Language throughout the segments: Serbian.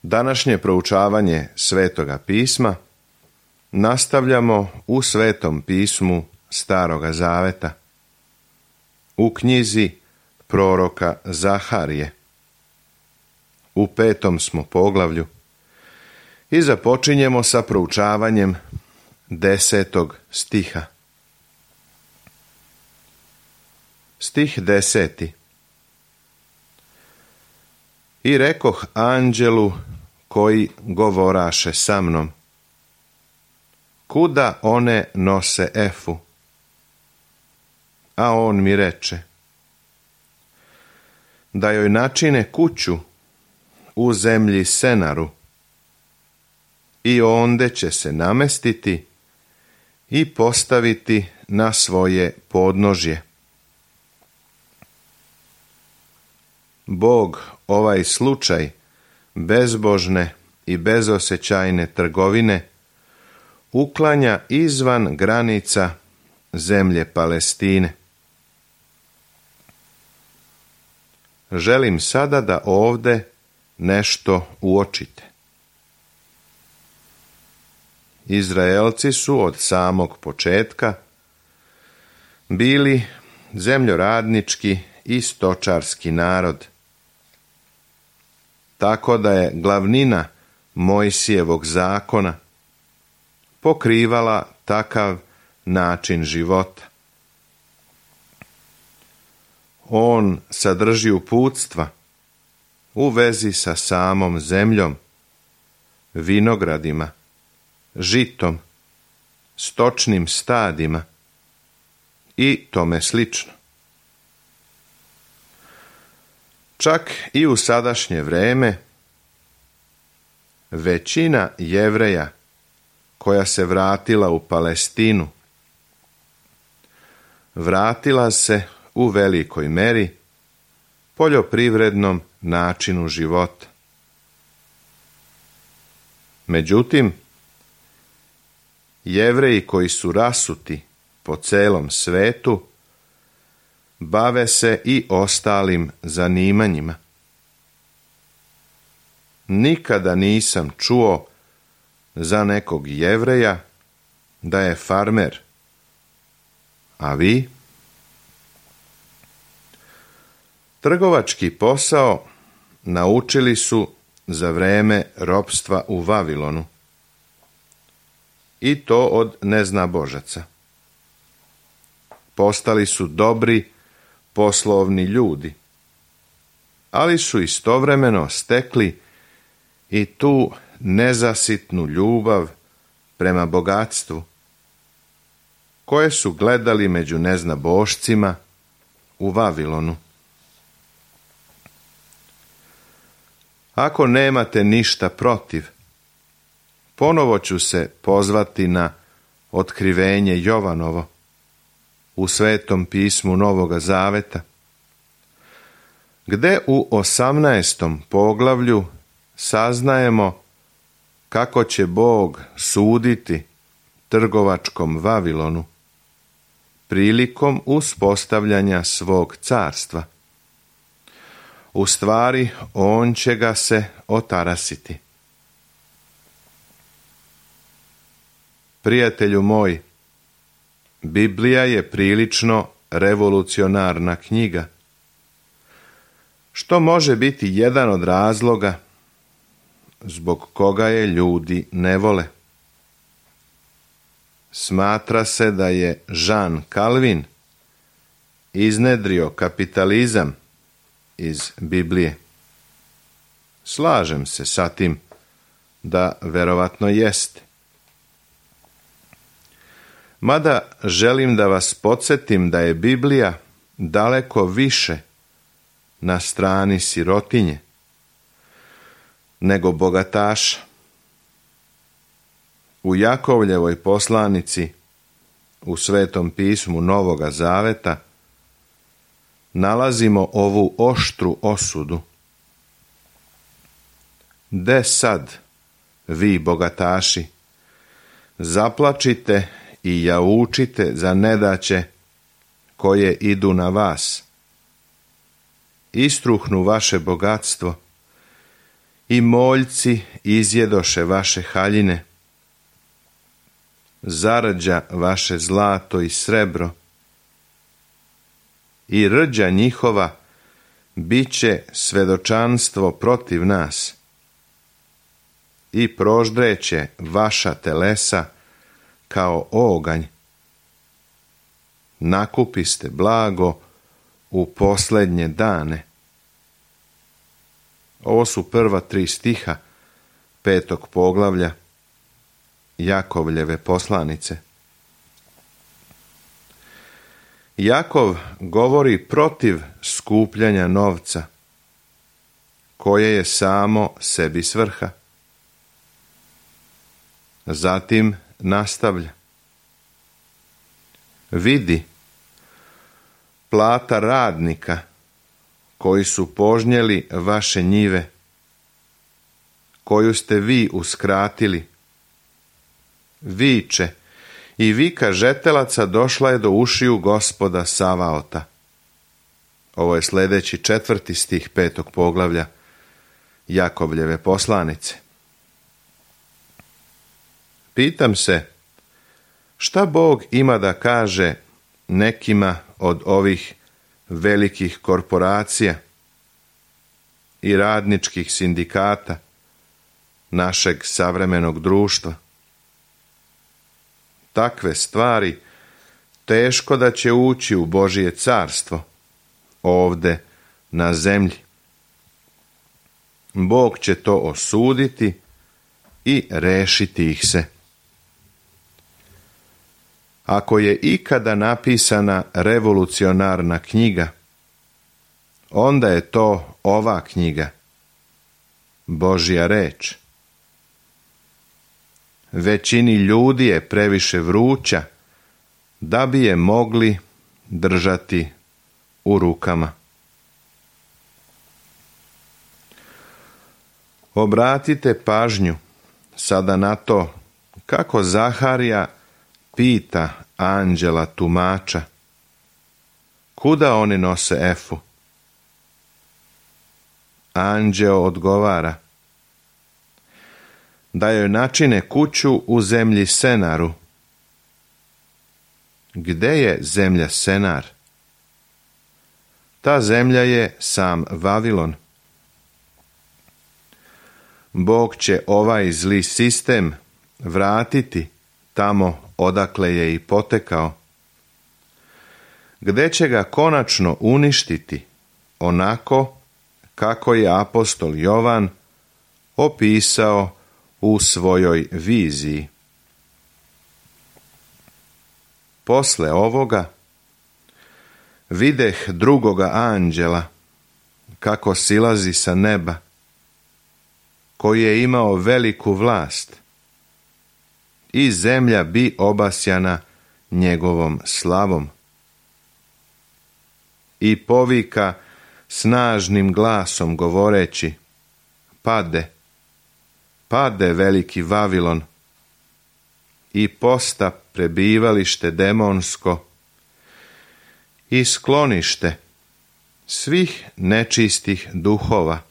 Današnje proučavanje Svetoga pisma nastavljamo u Svetom pismu Staroga zaveta, u knjizi proroka Zaharije. U 5. smo poglavlju i započinjemo sa proučavanjem 10. stiha. Stih 10. I rekoh anđelu koji govoraše sa mnom, kuda one nose efu? A on mi reče, da joj načine kuću u zemlji Senaru i onde će se namestiti i postaviti na svoje podnožje. Bog ovaj slučaj bezbožne i bezosjećajne trgovine uklanja izvan granica zemlje Palestine. Želim sada da ovde nešto uočite. Izraelci su od samog početka bili zemljoradnički i stočarski narod, tako da je glavnina Mojsijevog zakona pokrivala takav način života. On sadrži uputstva u vezi sa samom zemljom, vinogradima, žitom, stočnim stadima i tome slično. Čak i u sadašnje vreme većina Jevreja koja se vratila u Palestinu vratila se u velikoj meri poljoprivrednom načinu života. Međutim, Jevreji koji su rasuti po celom svetu bave se i ostalim zanimanjima. Nikada nisam čuo za nekog Jevreja da je farmer. A vi? Trgovački posao naučili su za vreme ropstva u Vavilonu. I to od neznabožaca. Postali su dobri poslovni ljudi, ali su istovremeno stekli i tu nezasitnu ljubav prema bogatstvu, koje su gledali među neznabošcima u Vavilonu. Ako nemate ništa protiv, ponovo ću se pozvati na otkrivenje Jovanovo u Svetom pismu Novoga zaveta, gde u 18. poglavlju saznajemo kako će Bog suditi trgovačkom Vavilonu prilikom uspostavljanja svog carstva. U stvari, on će ga se otarasiti. Prijatelju moj, Biblija je prilično revolucionarna knjiga, što može biti jedan od razloga zbog koga je ljudi ne vole. Smatra se da je Jean Calvin iznedrio kapitalizam iz Biblije. Slažem se sa tim da verovatno jeste. Mada želim da vas podsjetim da je Biblija daleko više na strani sirotinje nego bogataša. U Jakovljevoj poslanici u Svetom pismu Novoga zaveta nalazimo ovu oštru osudu. De sad, vi bogataši, zaplačite i jaučite za nedaće koje idu na vas. Istruhnu vaše bogatstvo i moljci izjedoše vaše haljine, zarđa vaše zlato i srebro, i rđa njihova biće svedočanstvo protiv nas, i proždreće vaša telesa kao oganj. Nakupiste blago u posljednje dane. Ovo su prva 3 stiha 5. poglavlja Jakovljeve poslanice. Jakov govori protiv skupljanja novca, koje je samo sebi svrha. Zatim nastavlja. Vidi, plata radnika koji su požnjeli vaše njive, koju ste vi uskratili, viče, i vika žetelaca došla je do ušiju Gospoda Savaota. Ovo je sljedeći 4. stih 5. poglavlja Jakovljeve poslanice. Pitam se, šta Bog ima da kaže nekima od ovih velikih korporacija i radničkih sindikata našeg savremenog društva? Takve stvari teško da će ući u Božje carstvo ovde na zemlji. Bog će to osuditi i rešiti ih se. Ako je ikada napisana revolucionarna knjiga, onda je to ova knjiga, Božja reč. Većini ljudi je previše vruća da bi je mogli držati u rukama. Obratite pažnju sada na to kako Zaharija pita anđela tumača, kuda oni nose Efu? Anđeo odgovara, da joj načine kuću u zemlji Senaru. Gde je zemlja Senar? Ta zemlja je sam Vavilon. Bog će ovaj zli sistem vratiti tamo odakle je i potekao, gde će ga konačno uništiti onako kako je apostol Jovan opisao u svojoj viziji. Posle ovoga videh drugoga anđela kako silazi sa neba, koji je imao veliku vlast, i zemlja bi obasjana njegovom slavom. I povika snažnim glasom govoreći, pade, pade veliki Vavilon, i posta prebivalište demonsko, i sklonište svih nečistih duhova,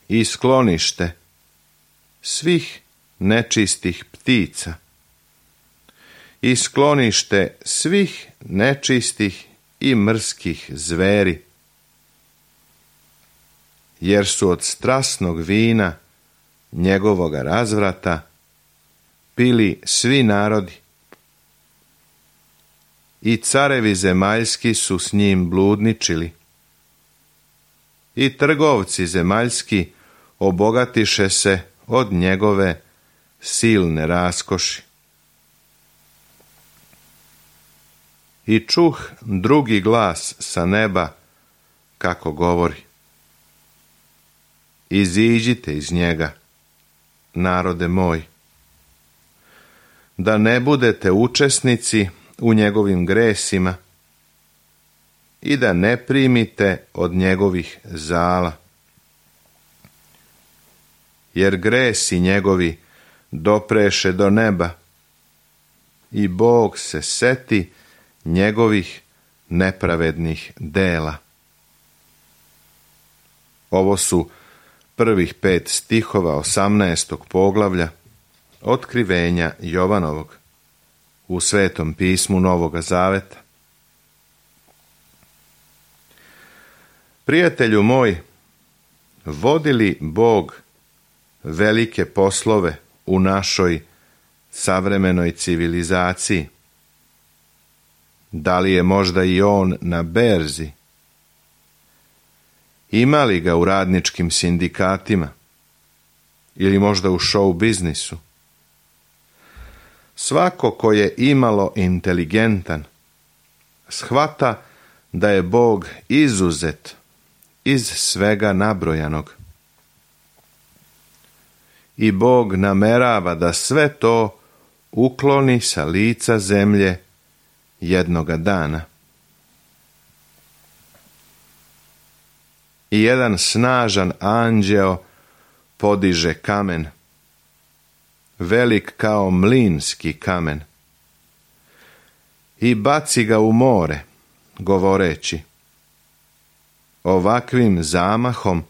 i sklonište svih nečistih ptica, i sklonište svih nečistih i mrskih zveri, jer su od strasnog vina njegovoga razvrata pili svi narodi, i carevi zemaljski su s njim bludničili, i trgovci zemaljski obogatiše se od njegove silne raskoši. I čuh drugi glas sa neba kako govori, iziđite iz njega, narode moj, da ne budete učesnici u njegovim gresima i da ne primite od njegovih zala. Jer gresi njegovi dopreše do neba i Bog se seti njegovih nepravednih dela. Ovo su prvih 5 stihova 18. poglavlja Otkrivenja Jovanovog u Svetom pismu Novoga Zaveta. Prijatelju moj, vodi li Bog velike poslove u našoj savremenoj civilizaciji? Da li je možda i on na berzi? Ima li ga u radničkim sindikatima? Ili možda u show biznisu? Svako ko je imalo inteligentan shvata da je Bog izuzet iz svega nabrojanog. I Bog namerava da sve to ukloni sa lica zemlje jednoga dana. I jedan snažan anđeo podiže kamen, velik kao mlinski kamen, i baci ga u more, govoreći: ovakvim zamahom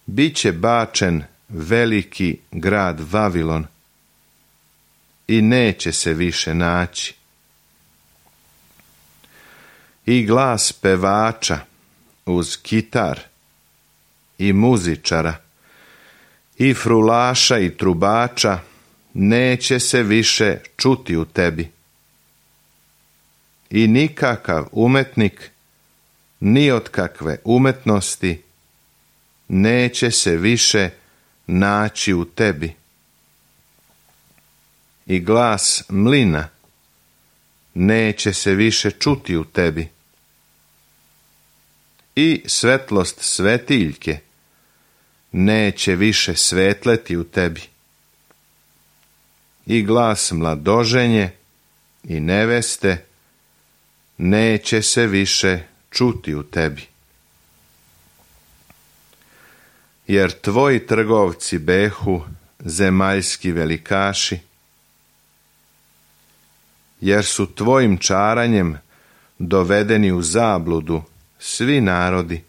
bit će bačen veliki grad Vavilon i neće se više naći. I glas pevača uz kitar i muzičara i frulaša i trubača neće se više čuti u tebi. I nikakav umetnik ni od kakve umetnosti neće se više naći u tebi. I glas mlina neće se više čuti u tebi. I svetlost svetiljke neće više svetleti u tebi. I glas mladoženje i neveste neće se više čuti u tebi. Jer tvoji trgovci behu zemaljski velikaši, jer su tvojim čaranjem dovedeni u zabludu svi narodi,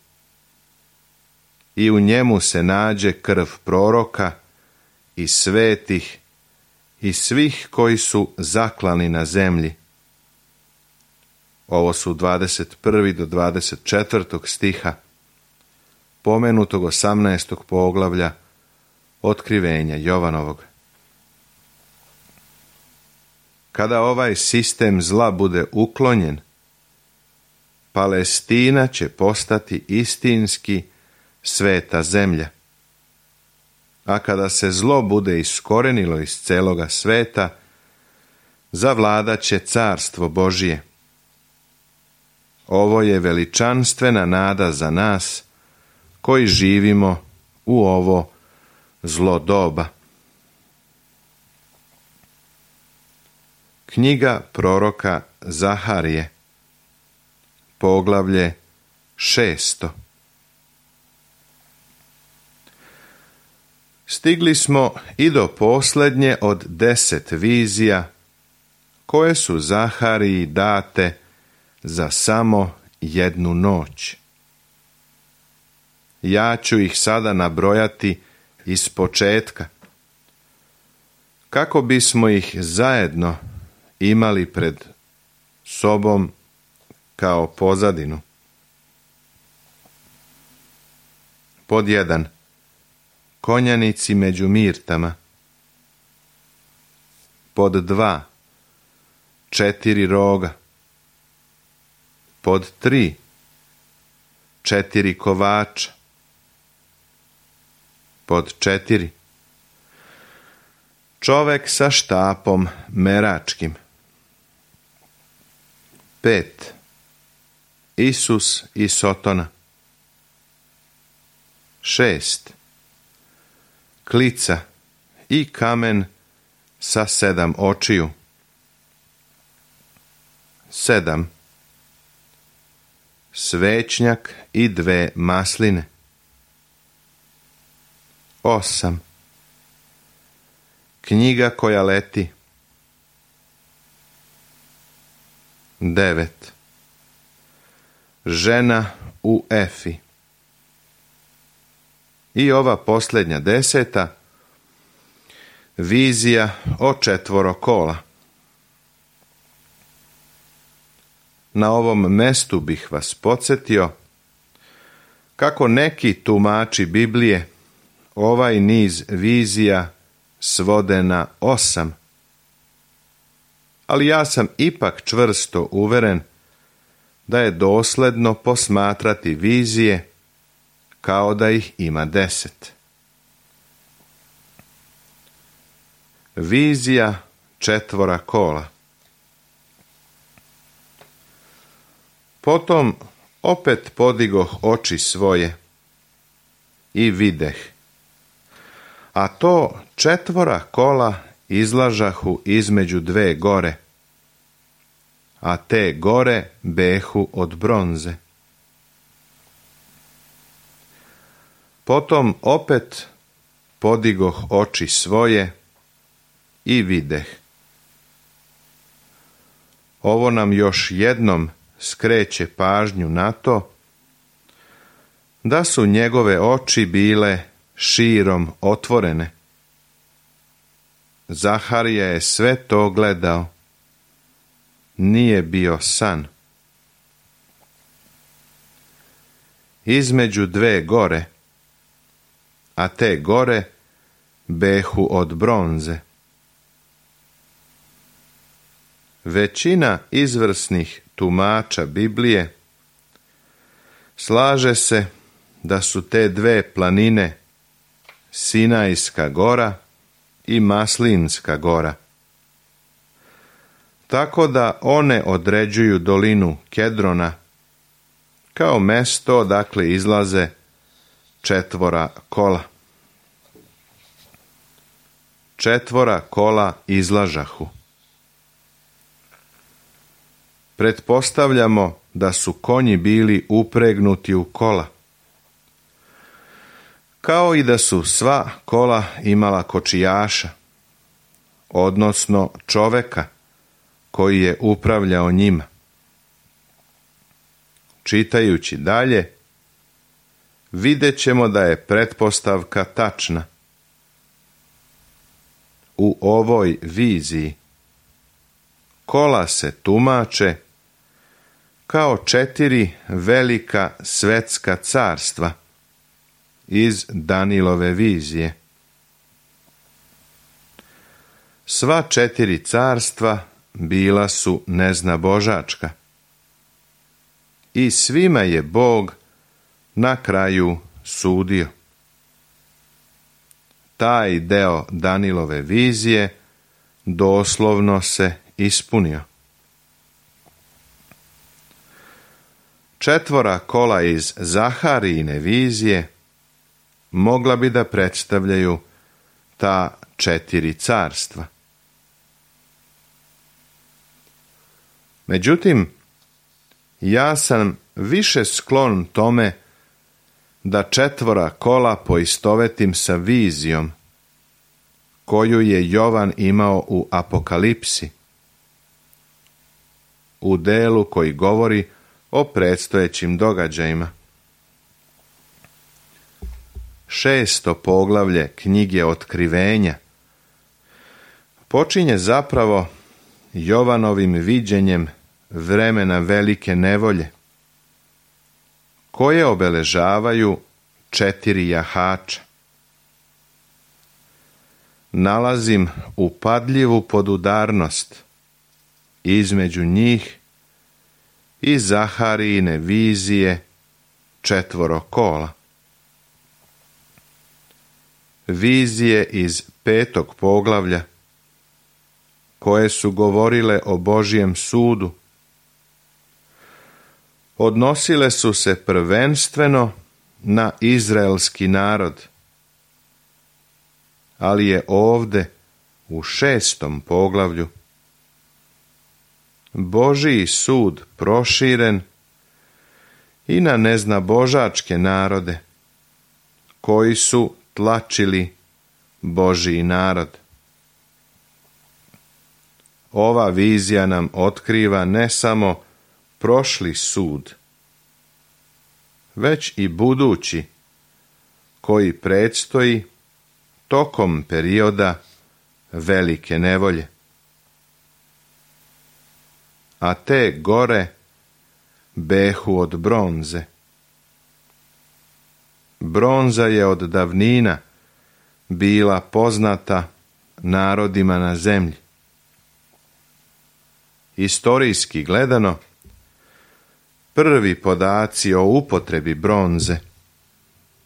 i u njemu se nađe krv proroka i svetih i svih koji su zaklani na zemlji. Ovo su 21. do 24. stiha pomenutog 18. poglavlja Otkrivenja Jovanovog. Kada ovaj sistem zla bude uklonjen, Palestina će postati istinski sveta zemlja. A kada se zlo bude iskorenilo iz celoga sveta, zavladat će carstvo Božije. Ovo je veličanstvena nada za nas koji živimo u ovo zlo doba. Knjiga proroka Zaharije, poglavlje 6. Stigli smo i do posljednje od 10 vizija koje su Zahariji date za samo jednu noć. Ja ću ih sada nabrojati iz početka, kako bismo ih zajedno imali pred sobom kao pozadinu. Pod 1. Konjanici među mirtama. Pod 2. 4 roga. Pod 3. 4 kovača. Pod 4. Čovek sa štapom meračkim. 5. Isus i Sotona. 6. Klica i kamen sa 7 očiju. 7. Svećnjak i 2 masline. 8. Knjiga koja leti. 9. Žena u Efi. I ova posljednja 10. vizija o 4 kola. Na ovom mestu bih vas podsjetio kako neki tumači Biblije ovaj niz vizija svode na 8, ali ja sam ipak čvrsto uveren da je dosledno posmatrati vizije kao da ih ima 10. Vizija 4 kola. Potom opet podigoh oči svoje i videh, a to 4 kola izlažahu između 2 gore, a te gore behu od bronze. Potom opet podigoh oči svoje i videh. Ovo nam još jednom skreće pažnju na to da su njegove oči bile širom otvorene. Zaharija je sve to gledao. Nije bio san. Između 2 gore, a te gore behu od bronze. Većina izvrsnih tumača Biblije slaže se da su te 2 planine Sinajska gora i Maslinska gora, tako da one određuju dolinu Kedrona kao mesto odakle izlaze 4 kola. 4 kola izlažahu. Pretpostavljamo da su konji bili upregnuti u kola, kao i da su sva kola imala kočijaša, odnosno čoveka koji je upravljao njima. Čitajući dalje, vidjet ćemo da je pretpostavka tačna. U ovoj viziji kola se tumače kao 4 velika svetska carstva iz Danilove vizije. Sva 4 carstva bila su neznabožačka i svima je Bog na kraju sudio. Taj deo Danilove vizije doslovno se ispunio. 4 kola iz Zaharijine vizije mogla bi da predstavljaju ta 4 carstva. Međutim, ja sam više sklon tome da 4 kola poistovetim sa vizijom koju je Jovan imao u Apokalipsi, u delu koji govori o predstojećim događajima. 6. poglavlje knjige Otkrivenja počinje zapravo Jovanovim viđenjem vremena velike nevolje, koje obeležavaju 4 jahača. Nalazim upadljivu podudarnost između njih i Zaharijine vizije 4 kola. Vizije iz 5. poglavlja, koje su govorile o Božjem sudu, odnosile su se prvenstveno na izraelski narod, ali je ovde u 6. poglavlju Božji sud proširen i na neznabožačke narode koji su tlačili Božji narod. Ova vizija nam otkriva ne samo prošli sud, već i budući, koji predstoji tokom perioda velike nevolje. A te gore behu od bronze. Bronza je od davnina bila poznata narodima na zemlji. Istorijski gledano, prvi podaci o upotrebi bronze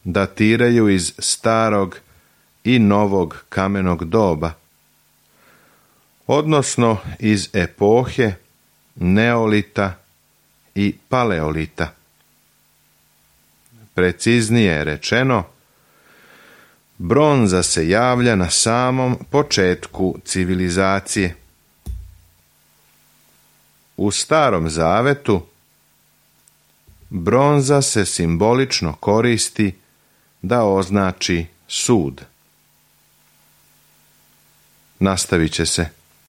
datiraju iz starog i novog kamenog doba, odnosno iz epohe neolita i paleolita. Preciznije rečeno, bronza se javlja na samom početku civilizacije. U Starom Zavetu bronza se simbolično koristi da označi sud. Nastavit će se.